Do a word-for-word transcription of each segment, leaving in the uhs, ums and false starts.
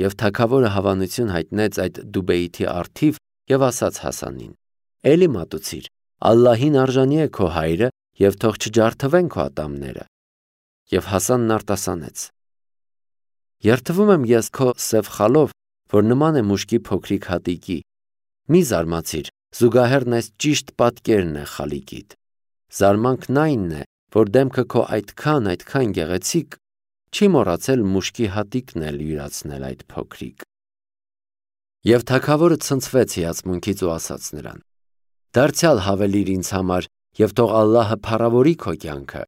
Եվ թագավորը հավանություն հայտնեց այդ Դուբեիթի առթիվ և ասաց Հասանին. «Էլի մատուցիր, Ալլահին արժանի է քո հայրը և թող չջարդվեն քո ատամները»։ Եվ Հասանն արտասանեց. «Երդվում եմ ես քո սև խալով, որ նման է մուշկի փոքրիկ հատիկի։ Մի զարմացիր, զուգահեռն այս ճիշտ պատկերն է խալիկիդ։ Զարմանքն այնն է, որ դեմքը քո այդքան, այդքան գեղեցիկ, չի մոռացել մուշկի հատիկն էլ յուրացնել այդ փոքրիկ»։ Եվ թագավորը ցնցվեց հիացմունքից ու ասաց նրան. «Դարձյալ հավելիր ինձ համար և թող Ալլահը փառավորի քո կյանքը»։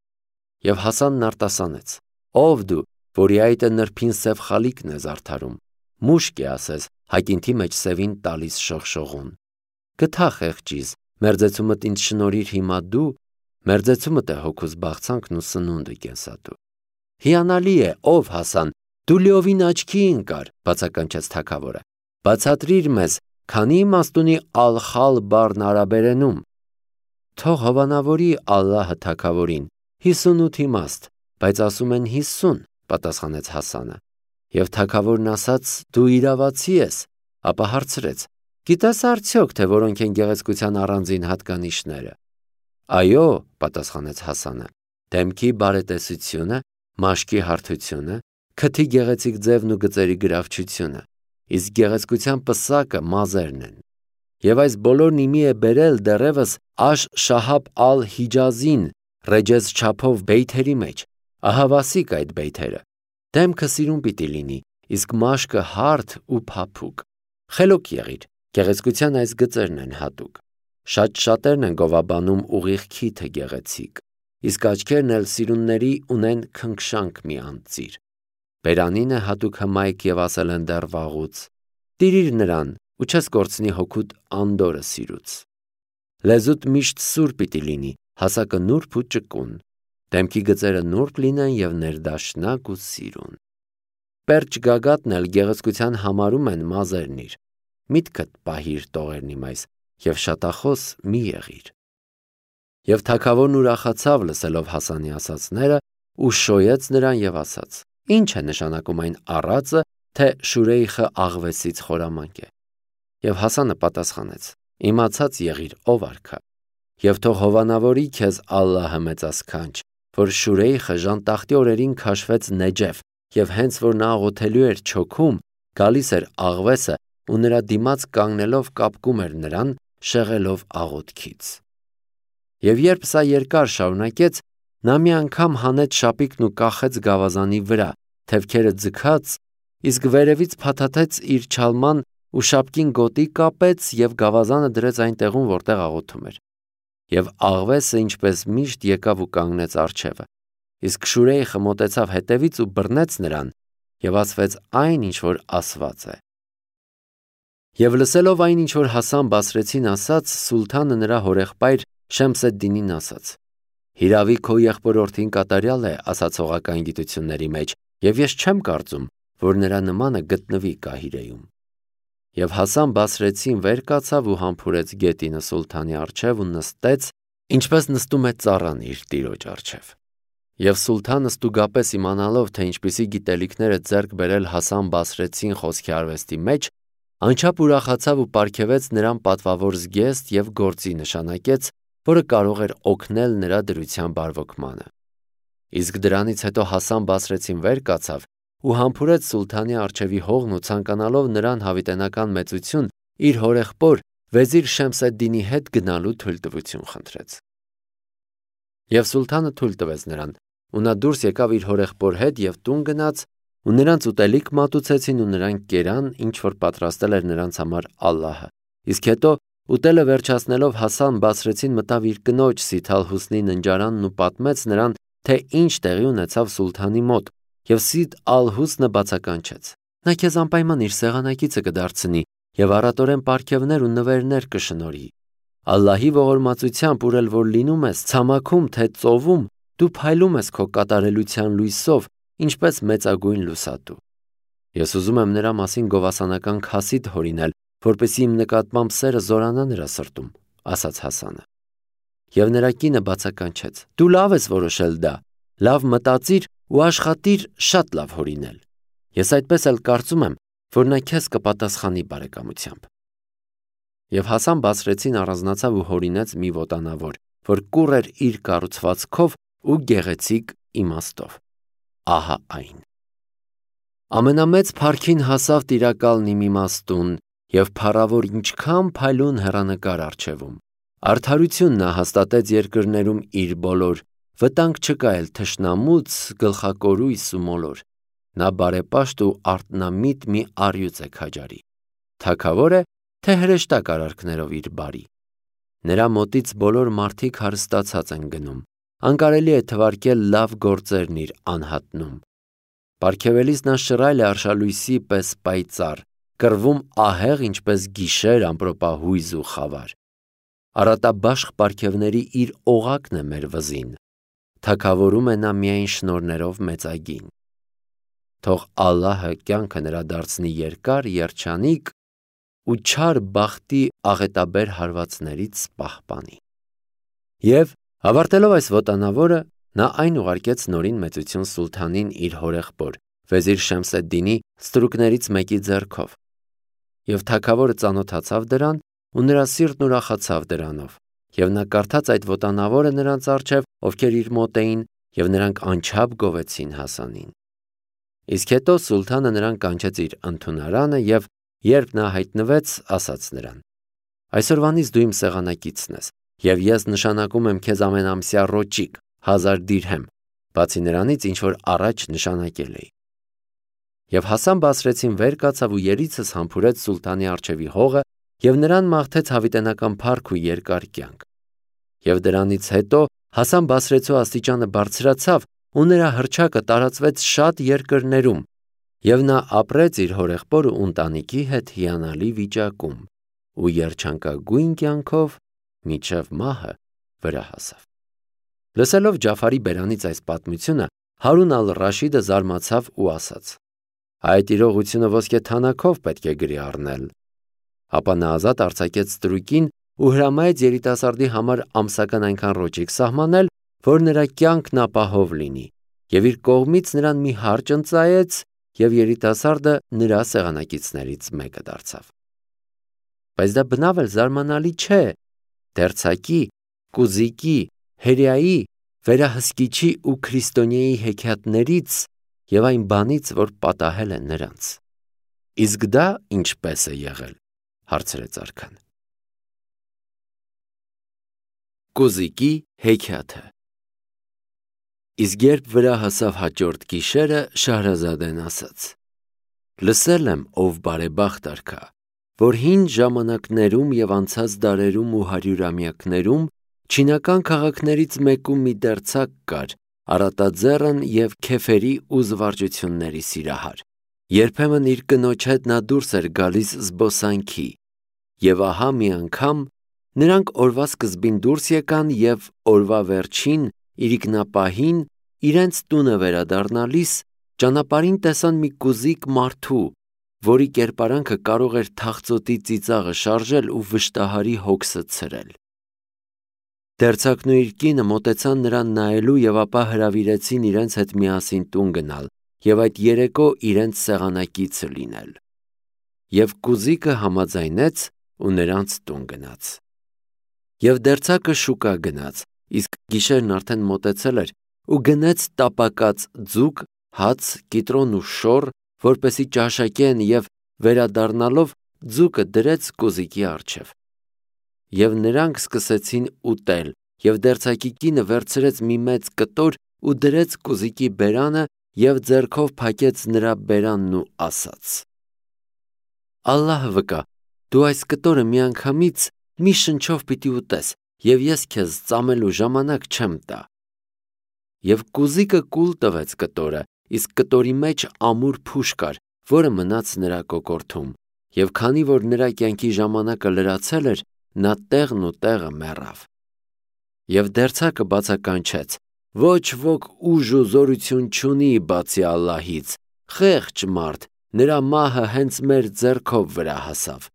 Եվ Հասանն արտասանեց. «Ով դու, որի այտը նրբին սև խալիկն է զարդարում, մուշկ է ասես, հայկինթի մեջ սևին տալիս շողշողուն։ Գթա խեղճիս, մերձեցումդ ինձ շնորհիր հիմա դու, մերձեցումդ է հոգուս բաղցանքն ու սնունդը կենսատու»։ «Հիանալի է, ով Հասան, դու լիովին աչքի ընկար», բացականչեց թագավորը։ «Բացատրիր մեզ, քանի՞ իմաստ ունի ալ-խալ բառն արաբերենում»։ «Թող հովանավորի Ալլահը թագավորին, հիսունութ իմաստ, բայց ասում են հիսուն», պատասխանեց Հասանը։ Եվ թագավորն ասաց. «Դու իրավացի ես»։ Ապա հարցրեց. «Գիտես արդյոք, թե որոնք են գեղեցկության առանձին հատկանիշները»։ «Այո», պատասխանեց Հասանը, «դեմքի բարետեսությունը, մաշկի հարթությունը, քթի գեղեցիկ ձևն ու գծերի գրավչությունը, իսկ գեղեցկության պսակը մազերն են։ Եվ այս բոլորն իմի է բերել դեռևս Աշ-Շահաբ ալ-Հիջազին Ռեջեզ չափով բեյթերի մեջ, ահավասիկ այդ բեյթերը։ Դեմքը սիրուն պիտի լինի, իսկ մաշկը հարթ ու փափուկ։ Խելոք եղիր, գեղեցկության այս գծերն են հատուկ։ Շատ շատերն են գովաբանում ուղիղ քիթը գեղեցիկ, իսկ աչքերն էլ սիրունների ունեն քնքշանք մի անծիր։ Բերանինը հատուկ հմայք և ասել են դեռ վաղուց. տիրիր նրան ու չես կորցնի հոգուդ անդորրը սիրուց։ Լեզուդ միշտ սուր պիտի լինի, հասակը նուրբ ու ճկուն, դեմքի գծերը նուրբ լինեն և ներդաշնակ ու սիրուն։ Պերճ գագաթն էլ գեղեցկության համարում են մազերնիր։ Միտքդ պահիր տողերնի մայս և շատախոս մի եղիր։ Եվ թագավորն ուրախացավ լսելով Հասանի ասածները ու շոյեց նրան և ասաց. «Ինչ է նշանակում այն առածը, թե Շուրեյխը աղվեսից խորամանկ է»։ Եվ Հասանը պատասխանեց. «Իմացած եղիր, ով արքա, և թող հովանավորի քեզ Ալլահը մեծասքանչ, որ Շուրեյխը ժանտախտի օրերին քաշվեց Նեջեֆ, և հենց որ նա աղոթելու էր չոքում, գալիս էր աղվեսը ու նրա դիմաց կանգնելով կապկում էր նրան, շեղելով աղոթքից։ Եվ երբ սա երկար շարունակեց, նա մի անգամ հանեց շապիկն ու կախեց գավազանի վրա, թևքերը ձգած, իսկ վերևից փաթաթեց իր չալման ու շապկին գոտի կապեց և գավազանը դրեց այն տեղում, որտեղ աղոթում էր։ Եվ աղվեսը ինչպես միշտ եկավ ու կանգնեց առջևը, իսկ Շուրեյխը մոտեցավ հետևից ու բռնեց նրան և ասվեց այն, ինչ որ ասված է։ Եվ լսելով այն, ինչ որ Հասան Բասրեցին ասաց, սուլթանը նրա հորեղբայր Շեմս էդ-Դինին ասաց. «Հիրավի քո եղբորորդին կատարյալ է ասացողական գիտությունների մեջ, և ես չեմ կարծում, որ նրա նմանը գտնվի Կահիրեում»։ Եվ Հասան Բասրեցին վեր կացավ ու համբուրեց գետինը սուլթանի առջև ու նստեց, ինչպես նստում է ծառան իր տիրոջ առջև։ Եվ սուլթանը ստուգապես իմանալով, թե ինչպիսի գիտելիքներ է ձեռք բերել Հասան Բասրեցին խոսքի արվեստի մեջ, անչափ ուրախացավ ու պարգևեց նրան պատվավոր զգեստ և գործի նշանակեց, որը կարող էր օգնել նրա դրության բարվոքմանը։ Իսկ դրանից հետո Հասան Բասրեցին վեր կացավ ու համբուրեց սուլթանի առջևի հողն ու ցանկանալով նրան հավիտենական մեծություն, իր հորեղբոր վեզիր Շեմս էդ-Դինի հետ գնալու թույլտվություն խնդրեց։ Եվ սուլթանը թույլ տվեց նրան, ու նա դուրս եկավ իր հորեղբոր հետ և տուն գնաց, ու նրանց ուտելիք մատուցեցին ու նրանք կերան, ինչ որ պատրաստել էր նրանց համար Ալլահը։ Իսկ հետո ուտելը վերջացնելով Հասան Բասրեցին մտավ իր կնոջ Սիթ ալ-Հուսնի ննջարանն ու պատմեց նրան, թե ինչ տեղի ունեցավ սուլթանի մոտ, և Սիթ ալ-Հուսնը բացականչեց. «Նա քեզ անպայման իր սեղանակիցը կդարձնի և առատորեն պարգևներ ու նվերներ կշնորհի։ Ալլահի ողորմածությամբ ուր էլ որ լինում ես, ցամաքում թե ծովում, դու փայլում ես քո կատարելության լույսով, ինչպես մեծագույն լուսատու։ Ես ուզում եմ նրա մասին գովասանական քասիդ հորինել, որպեսզի իմ նկատմամբ սերը զորանա նրա սրտում», ասաց Հասանը։ Եվ նրա կինը բացականչեց. «Դու լավ ես որոշել դա, լավ մտածիր ու աշխատիր շատ լավ հորինել։ Ես այդպես էլ կարծում եմ, որ նա քեզ կպատասխանի բարեկամությամբ։ Եվ Հասան Բասրեցին առանձնացավ ու հորինեց մի ոտանավոր, որ կուռ էր իր կառուցվածքով ու գեղեցիկ իմաստով։ Ահա այն։ Ամենամեծ փառքին հասավ տիրակալն իմ իմաստուն, և փառավոր ինչքան փայլուն հեռանկար առջևում։ Արդարություն նա հաստատեց երկրներում իր բոլոր, վտանգ չկա էլ թշնամուց, գլխակորույս ու մոլոր։ Նա բարեպաշտ ու արթնամիտ մի առյուծ է քաջարի։ Թագավոր է, թե հրեշտակ արարքներով իր բարի։ Նրա մոտից բոլոր մարդիկ հարստացած են գնում, անկարելի է թվարկել լավ գործերն իր անհատնում։ Պարգևելիս նա շռայլ է արշալույսի պես պայծառ, կռվում ահեղ ինչպես գիշեր ամպրոպահույզ ու խավար։ Արատաբաշխ պարգևների իր օղակն է մեր վզին, թագավորում է նա միայն շնորհներով մեծագին։ Թող Ալլահը կյանքը նրա դարձնի երկար, երջանիկ ու չար բախտի աղետաբեր հարվածներից պահպանի։ Եվ ավարտելով այս ոտանավորը, նա այն ուղարկեց նորին մեծություն սուլթանին իր հորեղբոր Վեզիր Շեմս ալ-Դինի ստրուկներից մեկի ձեռքով։ Եվ թագավորը ծանոթացավ դրան, ու նրա սիրտն ուրախացավ դրանով, և նա կարդաց այդ ոտանավորը նրանց առջև, ովքեր իր մոտ էին, և նրանք անչափ գովեցին Հասանին։ Իսկ հետո սուլթանը նրան կանչեց իր ընդունարանը և, երբ նա հայտնվեց, ասաց նրան. «Այսօրվանից դու իմ սեղանակիցն ես, և ես նշանակում եմ քեզ ամենամսյա ռոճիկ, հազար դիրհեմ, բացի նրանից, ինչ որ առաջ նշանակել էի»։ Եվ Հասան Բասրեցին վեր կացավ ու երիցս համբուրեց սուլթանի առջևի հողը և նրան մաղթեց հավիտենական փառք ու երկար կյանք։ Եվ դրանից հետո Հասան Բասրեցու աստիճանը բարձրացավ ու նրա հռչակը տարածվեց շատ երկրներում, և նա ապրեց իր հորեղբոր ու ընտանիքի հետ հիանալի վիճակում ու երջանկագույն կյանքով մինչև մահը վրա հասավ։ Լսելով Ջաֆարի բերանից այս պատմությունը, Հարուն ալ-Ռաշիդը զարմացավ ու ասաց. «Այդ իրողությունը ոսկե թանաքով պետք է գրի առնել»։ Ապա նա ազատ արձակեց ստրուկին ու հրամայեց երիտասարդի համար ամսական այնքան ռոճիկ սահմանել, որ նրա կյանքն ապահով լինի, և իր կողմից նրան մի հարճ ընծայեց, և երիտասարդը նրա սեղանակիցներից մեկը դարձավ։ Բայց դա բնավ էլ զարմանալի չէ դերձակի, կուզիկի, հրեայի, վերահսկիչի ու քրիստոնյայի հեքիաթներից և այն բանից, որ պատահել է նրանց։ Իսկ դա ինչպե՞ս է եղել, հարցրեց արքան։ Կուզիկի հեքիաթը։ Իսկ երբ վրա հասավ հաջորդ գիշերը, Շահրազադեն ասաց. «Լսել եմ, ով բարեբախտ արքա, որ հին ժամանակներում և անցած դարերում ու հարյուրամյակներում չինական քաղաքներից մեկում մի դերձակ կար, առատաձեռն և քեֆերի ու զվարճությունների սիրահար։ Երբեմն իր կնոջ հետ նա դուրս էր գալիս զբոսանքի, և ահա մի անգամ նրանք օրվա սկզբին դուրս եկան և օրվա վերջին իրիկնապահին իրենց տունը վերադառնալիս ճանապարհին տեսան մի կուզիկ մարդու, որի կերպարանքը կարող էր թախծոտի ծիծաղը շարժել ու վշտահարի հոգսը ցրել։ Դերձակն ու իր կինը մոտեցան նրան նայելու և ապա հրավիրեցին իրենց հետ միասին տուն գնալ և այդ երեկո իրենց սեղանակիցը լինել։ Եվ կուզիկը համաձայնեց ու նրանց տուն գնաց։ Եվ դերձակը շուկա գնաց, իսկ գիշերն արդեն մոտեցել էր, ու գնեց տապակած ձուկ, հաց, կիտրոն ու շոռ, որպեսզի ճաշակեն, և վերադառնալով ձուկը դրեց կուզիկի առջև։ Եվ նրանք սկսեցին ուտել, և դերձակի կինը վերցրեց մի մեծ կտոր ու դրեց կուզիկի բերանը և ձեռքով փակեց նրա բերանն ու ասաց. «Ալլահը վկա, դու այս կտորը միանգամից մի շնչով պիտի ուտես, և ես քեզ ծամելու ժամանակ չեմ տա»։ Եվ կուզիկը կուլ տվեց կտորը, իսկ կտորի մեջ ամուր փուշ կար, որը մնաց նրա կոկորդում, և քանի որ նրա կյանքի ժամանակը լրացել էր, նա տեղն ու տեղը մեռավ։ Եվ դերձակը բացականչեց. «Ոչ ոք ուժ ու զորություն չունի բացի Ալլահից, խեղճ մարդ, նրա մահը հենց մեր ձեռքով վրա հասավ»։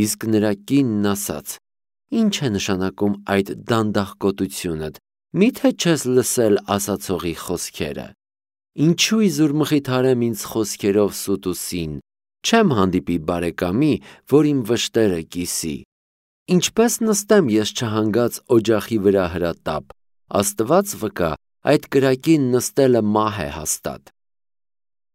Իսկ նրա կինն ասաց. «Ի՞նչ է նշանակում այդ դանդաղկոտությունդ, մի՞թե չես լսել ասացողի խոսքերը։ Ինչու իզուր մխիթարեմ ինձ խոսքերով սուտ ու սին, չեմ հանդիպի բարեկամի, որ իմ վշտերը կիսի։ Ինչպես նստեմ ես չհանգած օջախի վրա հրատապ, Աստված վկա, այդ կրակին նստելը մահ է հաստատ։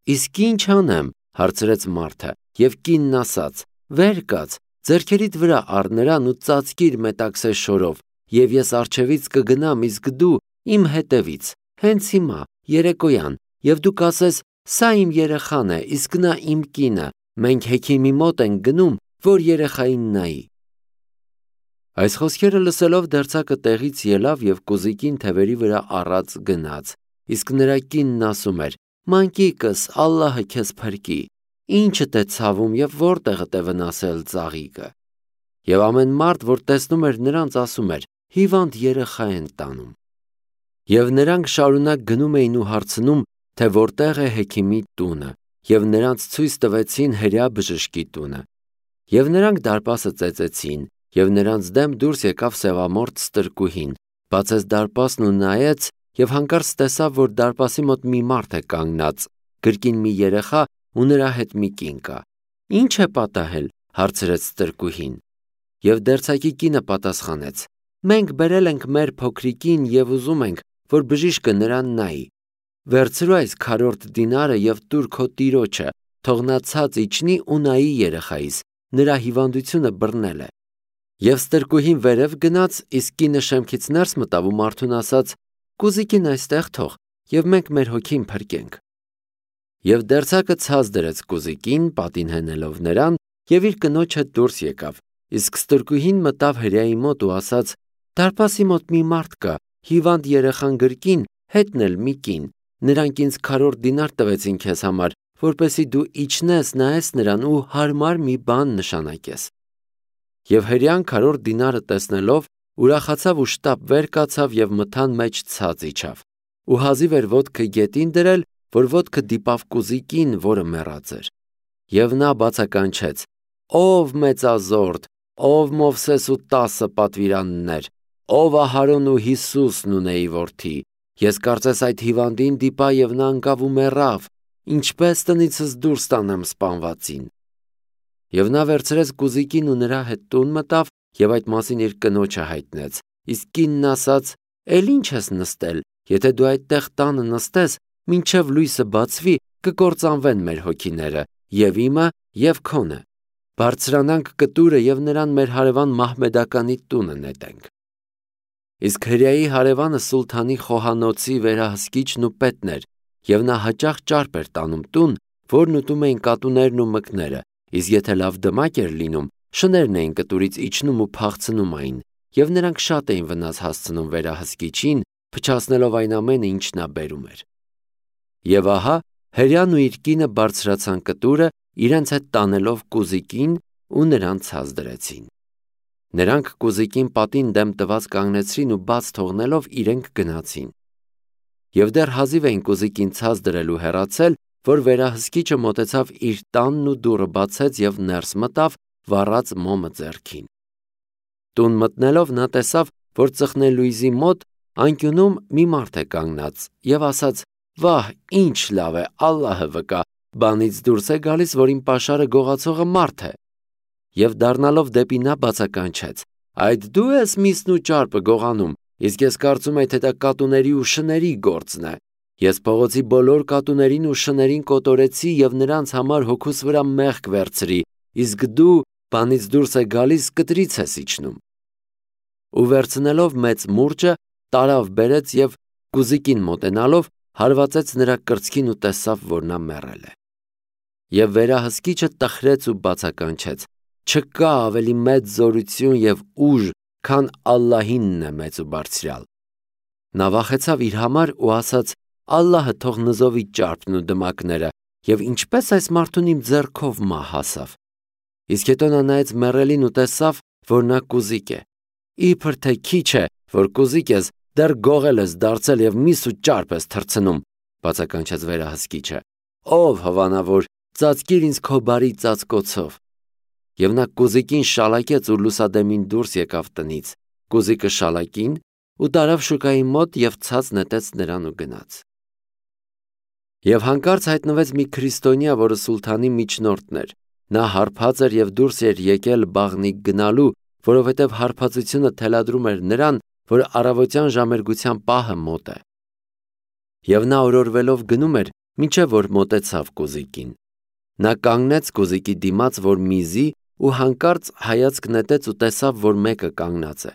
Իսկ ինչ անեմ, հարցրեց մարդը, եւ կինն ասաց. վեր կաց, ձեռքերիդ վրա առ նրան ու ծածկիր մետաքսե շորով, եւ ես առջևից կգնամ, իսկ դու իմ հետևից, հենց հիմա, երեկոյան, եւ դու կասես, սա իմ երեխան է, իսկ նա իմ կինը, մենք հեքիմի մոտ ենք գնում, որ երեխային նայի։ Այս խոսքերը լսելով դերձակը տեղից ելավ եւ կոզիկին թևերի վրա առած գնաց, իսկ նրա կինն ասում էր. մանկիկս, Ալլահը քեզ փրկի, ինչդ է ցավում եւ որտեղդ է վնասել ծաղիկը։ Եվ ամեն մարդ, որ տեսնում էր նրանց, ասում էր. հիվանդ երեխա են տանում։ Եվ նրանք շարունակ գնում էին ու հարցնում, թե որտեղ է հեքիմի տունը, եւ նրանց ցույց տվեցին հրյա բժշկի տունը։ Եվ նրանք դարպասը ծեծեցին, եւ նրանց դեմ դուրս եկավ սևամորթ ստրկուհին, բացեց դարպասն ու նայեց, եւ հանկարծ տեսավ, որ դարպասի մոտ մի մարդ է կանգնած, գրկին մի երեխա ու նրա հետ մի կին կա։ Ինչ է պատահել, հարցրեց ստրկուհին։ Եվ դերձակի կինը պատասխանեց. մենք բերել ենք մեր փոքրիկին եւ ուզում ենք, որ բժիշկը նրան նայի։ Վերցրու այս քառորդ դինարը եւ տուր քո տիրոջը, թող նա ցած իջնի ու նայի երեխայիս, նրա հիվանդությունը բռնել է։ Եվ ստրկուհին վերև գնաց, իսկ կինը շեմքից ներս մտավ ու մարդուն ասաց. կուզիկին այստեղ թող, եւ մենք մեր հոգին փրկենք։ Եվ դերձակը ցած դրեց կուզիկին, պատին հենելով նրան, եւ իր կնոջ հետ դուրս եկավ, իսկ ստրկուհին մտավ հրյայի մոտ ու ասաց. դարպասի մոտ մի մարդ կա, հիվանդ երեխան գրկին, հետն էլ մի կին, նրանք ինձ քառորդ դինար տվեցին քեզ համար, որպեսզի դու իջնես, նայես նրան ու հարմար մի բան նշանակես։ Եվ հրյան քառորդ դինարը տեսնելով, ուրախացավ ու շտապ վեր կացավ եւ մթան մեջ ցած իջավ։ Ու հազիվ էր ոտքը գետին դրել, որ ոտքը դիպավ կուզիկին, որը մեռած էր։ Եվ նա բացականչեց. ով մեծազորդ, ով Մովսես ու տասը պատվիրաններ, ով Ահարոն ու Հիսուսն ունեի որդի, ես կարծես այդ հիվանդին դիպա եւ նա անկավ ու մեռավ, ինչպես տնիցս դուրս տանեմ սպանվածին։ Եվ նա վերցրեց կուզիկին ու նրա հետ տուն մտավ եւ այդ մասին իր կնոջը հայտնեց, իսկ կինն ասաց. էլ ինչ ես նստել, եթե դու այդտեղ տանը նստես, մինչև լույսը բացվի, կկործանվեն մեր հոգիները, եւ իմը, եւ քոնը։ Բարձրանանք կտուրը եւ նրան մեր հարևան Մահմեդականի տունը նետենք։ Իսկ հրյայի հարևանը սուլթանի խոհանոցի վերահսկիչն ու պետն էր, եւ նա հաճախ ճարպ էր տանում տուն, որն ուտում էին կատուներն ու մկները, իսկ եթե լավ դմակ էր լինում, շներն էին կտուրից իջնում ու փախցնում այն, եւ նրանք շատ էին վնաս հասցնում վերահսկիչին, փչացնելով այն ամենը, ինչ նա բերում էր։ Եվ ահա հրյան ու իր կինը բարձրացան կտուրը, իրենց հետ տանելով կուզիկին ու նրան ցած դրեցին։ Նրանք կուզիկին պատին դեմ տված կանգնեցրին ու բաց թողնելով իրենք գնացին։ Եվ դեռ հազիվ էին կուզիկին ցած դրել ու հեռացել, որ վերահսկիչը մոտեցավ իր տանն ու դուռը բացեց եւ ներս մտավ, վառած մոմը ձեռքին։ Տուն մտնելով նա տեսավ, որ ծխնելույզի մոտ անկյունում մի մարդ է կանգնած եւ ասաց. վահ, ինչ լավ է, Ալլահը վկա, բանից դուրս է գալիս, որ իմ պաշարը գողացողը մարդ է։ Եվ դառնալով դեպի նա բացականչեց. այդ դու ես միսն ու ճարպը գողանում, իսկ ես կարծում եմ, թե դա կատուների ու շների գործն է։ Ես փողոցի բոլոր կատուներին ու շներին կոտորեցի եւ նրանց համար հոգուս վրա մեղք վերցրի, իսկ դու բանից դուրս է գալիս, կտրից ես իջնում։ Ու վերցնելով մեծ մուրճը, տարավ բերեց եւ կուզիկին մոտենալով հարվածեց նրա կրծքին ու տեսավ, որ նա մեռել է։ Եվ վերահսկիչը տխրեց ու բացականչեց. չկա ավելի մեծ զորություն եւ ուժ, քան Ալլահինն է մեծ ու բարձրյալ։ Նա վախեցավ իր համար ու ասաց. Ալլահը թող նզովի ճարպն ու դմակները, եւ ինչպես այս մարդուն իմ ձեռքով մահ հասավ։ Իսկ հետո նա նայեց մեռելին ու տեսավ, որ նա կուզիկ է։ Իբր թե քիչ է, որ կուզիկ ես, դեռ գողել ես դարձել եւ միս ու ճարպ ես թռցնում, բացականչեց վերահսկիչը։ Ով հովանավոր, ծածկիր ինձ քո բարի ծածկոցով։ Եվ նա կուզիկին շալակեց ու լուսադեմին դուրս եկավ տնից։ Կուզիկը շալակին ու տարավ շուկայի մոտ եւ ցած նետեց նրան ու գնաց։ Եվ հանկարծ հայտնվեց մի քրիստոնյա, որը սուլթանի միջնորդն էր։ Նա հարբած էր եւ դուրս էր եկել բաղնիկ գնալու, որովհետեւ հարբածությունը թելադրում էր նրան, որ առավոտյան ժամերգության պահը մոտ է։ Եվ նա օրորվելով գնում էր, մինչև որ մոտեցավ կոզիկին։ Նա կանգնեց կոզիկի դիմաց, որ միզի, ու հանկարծ հայացք նետեց ու տեսավ, որ մեկը կանգնած է։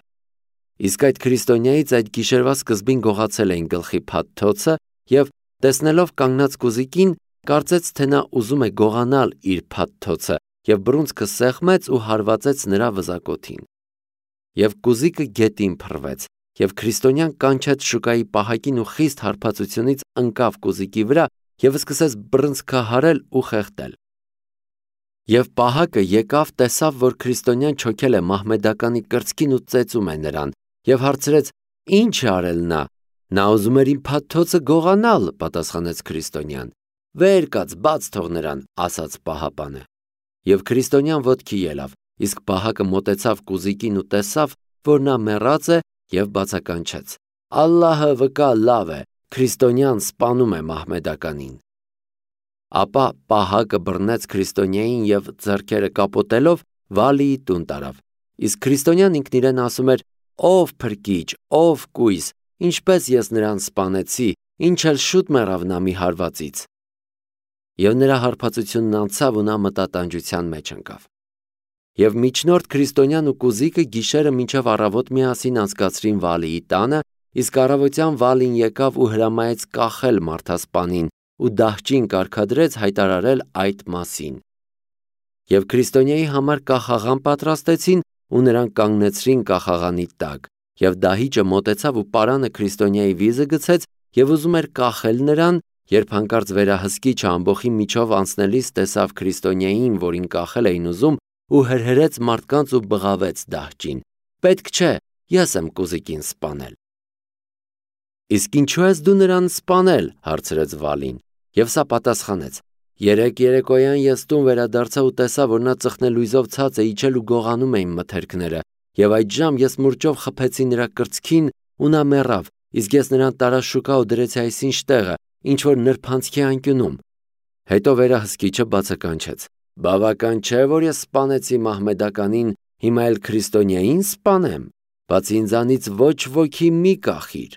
Իսկ այդ քրիստոնյայից այդ գիշերվա սկզբին գողացել էին գլխի փաթթոցը եւ տեսնելով կանգնած կոզիկին, կարծեց, թե նա ուզում է գողանալ իր փաթթոցը եւ բռունցքը սեղմեց ու հարվածեց նրա վզակոթին։ Եվ կոզիկը գետին փռվեց, եւ քրիստոնյան կանչեց շուկայի պահակին ու խիստ հարբածությունից ընկավ կոզիկի վրա եւ սկսեց բռնցքահարել ու խեղդել։ Եվ պահակը եկավ, տեսավ, որ քրիստոնյան չոքել է մահմեդականի կրծքին ու ծեծում է նրան, եւ հարցրեց. «Ինչ է արել նա»։ «Նա ուզում էր իմ փաթթոցը գողանալ», պատասխանեց քրիստոնյան։ «Վեր կաց, բաց թող նրան», ասաց պահապանը։ Եվ քրիստոնյան ոտքի ելավ, իսկ պահակը մոտեցավ կոզիկին ու տեսավ, որ նա մեռած է եւ բացականչեց. «Ալլահը վկա լավ է, քրիստոնյան սպանում է մահմեդականին»։ Ապա պահակը բռնեց քրիստոնյային եւ ձեռքերը կապոտելով Վալիի տուն տարավ։ Իսկ քրիստոնյան ինքն իրեն ասում էր. «Ով փրկիչ, ով կույս, ինչպես ես նրան սպանեցի, ինչ էլ շուտ մեռավ նա մի հարվածից»։ Եվ նրա հարբածությունն անցավ ու նա մտատանջության մեջ ընկավ։ Եվ միջնորդ քրիստոնյան ու կոզիկը գիշերը մինչև առավոտ միասին անցկացրին Վալիի տանը, իսկ առավոտյան Վալին եկավ ու հրամայեց կախել մարդասպանին ու դահճին կարգադրեց հայտարարել այդ մասին։ Եվ քրիստոնյայի համար կախաղան պատրաստեցին ու նրան կանգնեցրին կախաղանի տակ, եւ դահիճը մոտեցավ ու պարանը քրիստոնյայի վիզը գցեց եւ ուզում էր կախել նրան, երբ հանկարծ վերահսկիչը ամբոխի միջով անցնելիս տեսավ քրիստոնյային, որին կախել էին ուզում, ու հրհրեց մարդկանց ու բղավեց դահճին. «Պետք չէ, ես եմ կոզիկին սպանել»։ «Իսկ ինչու ես դու նրան սպանել»։ հարցրեց Վալին, եւ սա պատասխանեց. «Երեկ երեկոյան ես տուն վերադարձա ու տեսա, որ նա ծխնելույզով ցած է իջել ու գողանում է իմ մթերքները, եւ այդժամ ես մուրճով խփեցի նրա կրծքին ու նա մեռավ, իսկ ես նրան տարա շուկա ու դրեցի այսինչ տեղը, ինչ որ նրբանցքի անկյունում»։ Հետո վերահսկիչը բացականչեց. «Բավական չէ, որ ես սպանեցի մահմեդականին, հիմա էլ քրիստոնյային սպանեմ, բացի ինձանից ոչ ոքի մի կախիր»։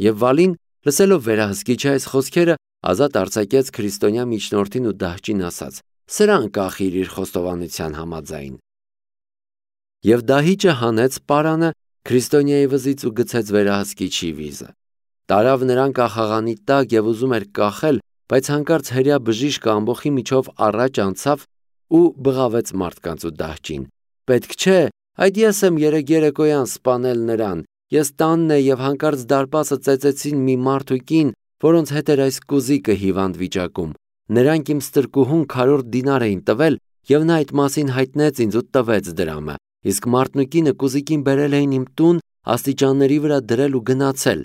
Եվ Վալին, լսելով վերահսկիչի այս խոսքերը, ազատ արձակեց քրիստոնյա միջնորդին ու դահճին ասաց. «Սրան կախիր իր խոստովանության համաձայն»։ Եվ դահիճը հանեց պարանը քրիստոնյայի վզից ու գցեց վերահսկիչի վիզը։ Տարավ նրան կախաղանի տակ եւ ուզում էր կախել, բայց հանկարծ հրյա բժիշկը ամբոխի միջով առաջ անցավ ու բղավեց մարդկանց ու դահճին. «Պետք չէ, այդ ես եմ երեկ երեկոյան սպանել նրան, ես տանն է եւ հանկարծ դարպասը ծեծեցին մի մարդ ու կին, որոնց հետ էր այս կոզիկը հիվանդ վիճակում։ Նրանք իմ ստրկուհուն քառորդ դինար էին տվել եւ նա այդ մասին հայտնեց ինձ ու տվեց դրամը, իսկ մարդն ու կինը կոզիկին բերել էին իմ տուն աստիճանների վրա դրել ու գնացել։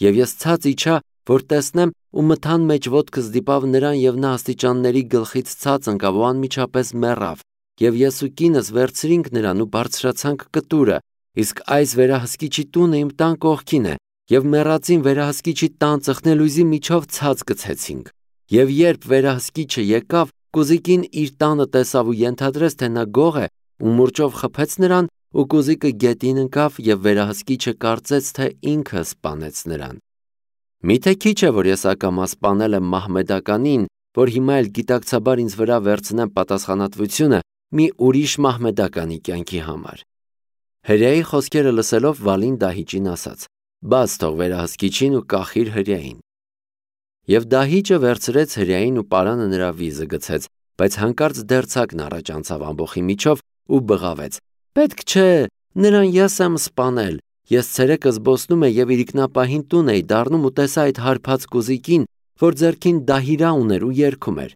Եվ ես ցած իջա, որ տեսնեմ ու մթան մեջ ոտքս դիպավ նրան եւ նա աստիճանների գլխից ցած ընկավ ու անմիջապես մեռավ։ Եվ ես ու կինս վերցրինք նրան ու բարձրացանք կտուրը, իսկ այս վերահսկիչի տունը իմ տան կողքին է, եւ մեռածին վերահսկիչի տան ծխնելույզի միջով ցած գցեցինք։ Եվ երբ վերահսկիչը եկավ, կոզիկին իր տանը տեսավ ու ենթադրեց, թե նա գող է, ու մուրճով խփեց նրան, ու կոզիկը գետին ընկավ եւ վերահսկիչը կարծեց, թե ինքը սպանեց նրան։ Միթե քիչ է, որ ես ակամա սպանել եմ մահմեդականին, որ հիմա էլ գիտակցաբար ինձ վրա վերցնեմ պատասխանատվությունը մի ուրիշ մահմեդականի կյանքի համար։ Հրեայի խոսքերը լսելով Վալին դահիճին ասաց. «Բաց թող վերահսկիչին ու կախիր հրեային»։ Եվ դահիճը վերցրեց հրեային ու պարանը նրա վիզը գցեց, բայց հանկարծ դերձակն առաջ անցավ ամբոխի միջով ու բղավեց. «Պետք չէ, նրան ես եմ սպանել, ես ցերեկը զբոսնում եմ եւ իրիկնապահին տուն էի դառնում ու տեսա այդ հարբած կոզիկին, որ ձեռքին դահիրա ուներ ու երգում էր։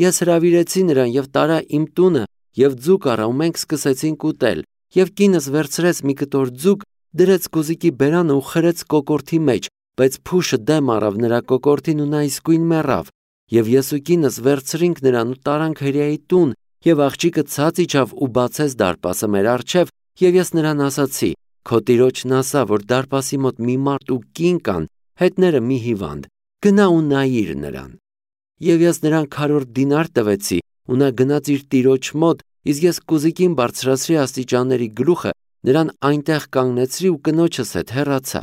Ես հրավիրեցի նրան եւ տարա իմ տունը եւ ձուկ առա ու մենք սկսեցինք ուտել, եւ կինս վերցրեց մի կտոր ձուկ, դրեց կոզիկի բերանը ու խրեց կոկորդի մեջ, բայց փուշը դեմ առավ նրա կոկորդին ու նա իսկույն մեռավ։ Եվ ես ու կինս վերցրինք նրան ու տարանք հրեայի տուն, եւ աղջիկը ցած իջավ ու բացեց դարպասը մեր առջև, եւ ես նրան ասացի. քո տիրոջն ասա, որ դարպասի մոտ մի մարդ ու կին կան, հետները մի հիվանդ, գնա ու նայիր նրան։ Եվ ես նրան քառորդ դինար տվեցի, ու նա գնաց իր տիրոջ մոտ, իսկ ես կուզիկին բարձրացրի աստիճանների գլուխը, նրան այնտեղ կանգնեցրի ու կնոջս հետ հեռացա։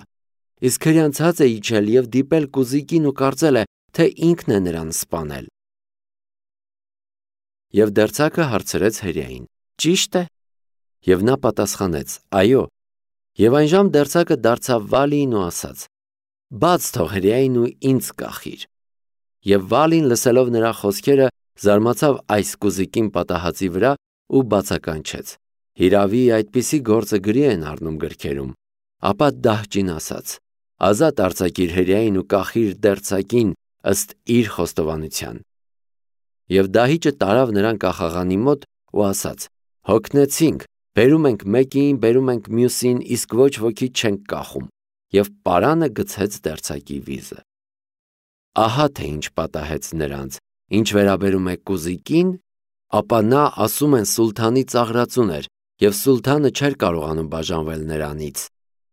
Իսկ հրեան ցած է իջել եւ դիպել կուզիկին ու կարծել է, թե ինքն է նրան սպանել։ Եվ դերձակը հարցրեց հրեային. Ճի՞շտ է։ Եվ նա պատասխանեց. Այո։ Եվ այն ժամ դերձակը դարձավ Վալիին ու ասաց. Բաց թող հրեային ու ինձ կախիր։ Եվ Վալին լսելով նրա խոսքերը զարմացավ այս կուզիկին պատահածի վրա ու բացականչեց. Հիրավի այդպիսի գործը գրի են առնում գրքերում։ Ապա դահճին ասաց. ազատ արձակիր հրեային ու կախիր դերձակին ըստ իր խոստովանության։ Եվ դահիճը տարավ նրան կախաղանի մոտ ու ասաց. հոգնեցինք, բերում ենք մեկին, բերում ենք մյուսին, իսկ ոչ ոքի չենք կախում։ Եվ պարանը գցեց դերձակի վիզը։ Ահա թե ինչ պատահեց նրանց, ինչ վերաբերում է կուզիկին, ապա նա ասում են սուլթանի ծաղրածուն էր, և սուլթանը չէր կարողանում բաժանվել նրանից։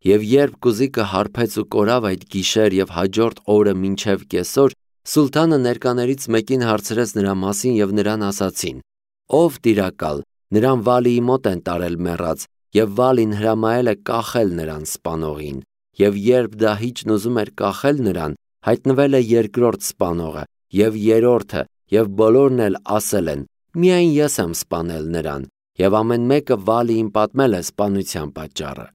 Եվ երբ կուզիկը հարբեց ու կորավ այդ գիշեր և հաջորդ օրը մինչև կեսօր, սուլթանը ներկաներից մեկին հարցրեց նրա մասին և նրան ասացին. Ով տիրակալ, նրան Վալիի մոտ են տարել մեռած, և Վալին հրամայել է կախել նրան սպանողին։ Եվ երբ դահիճն ուզում էր կախել նրան, հայտնվել է երկրորդ սպանողը, և երրորդը, և բոլորն էլ ասել են. միայն ես եմ սպանել նրան, և ամեն մեկը Վալիին պատմել է սպանության պատճառը։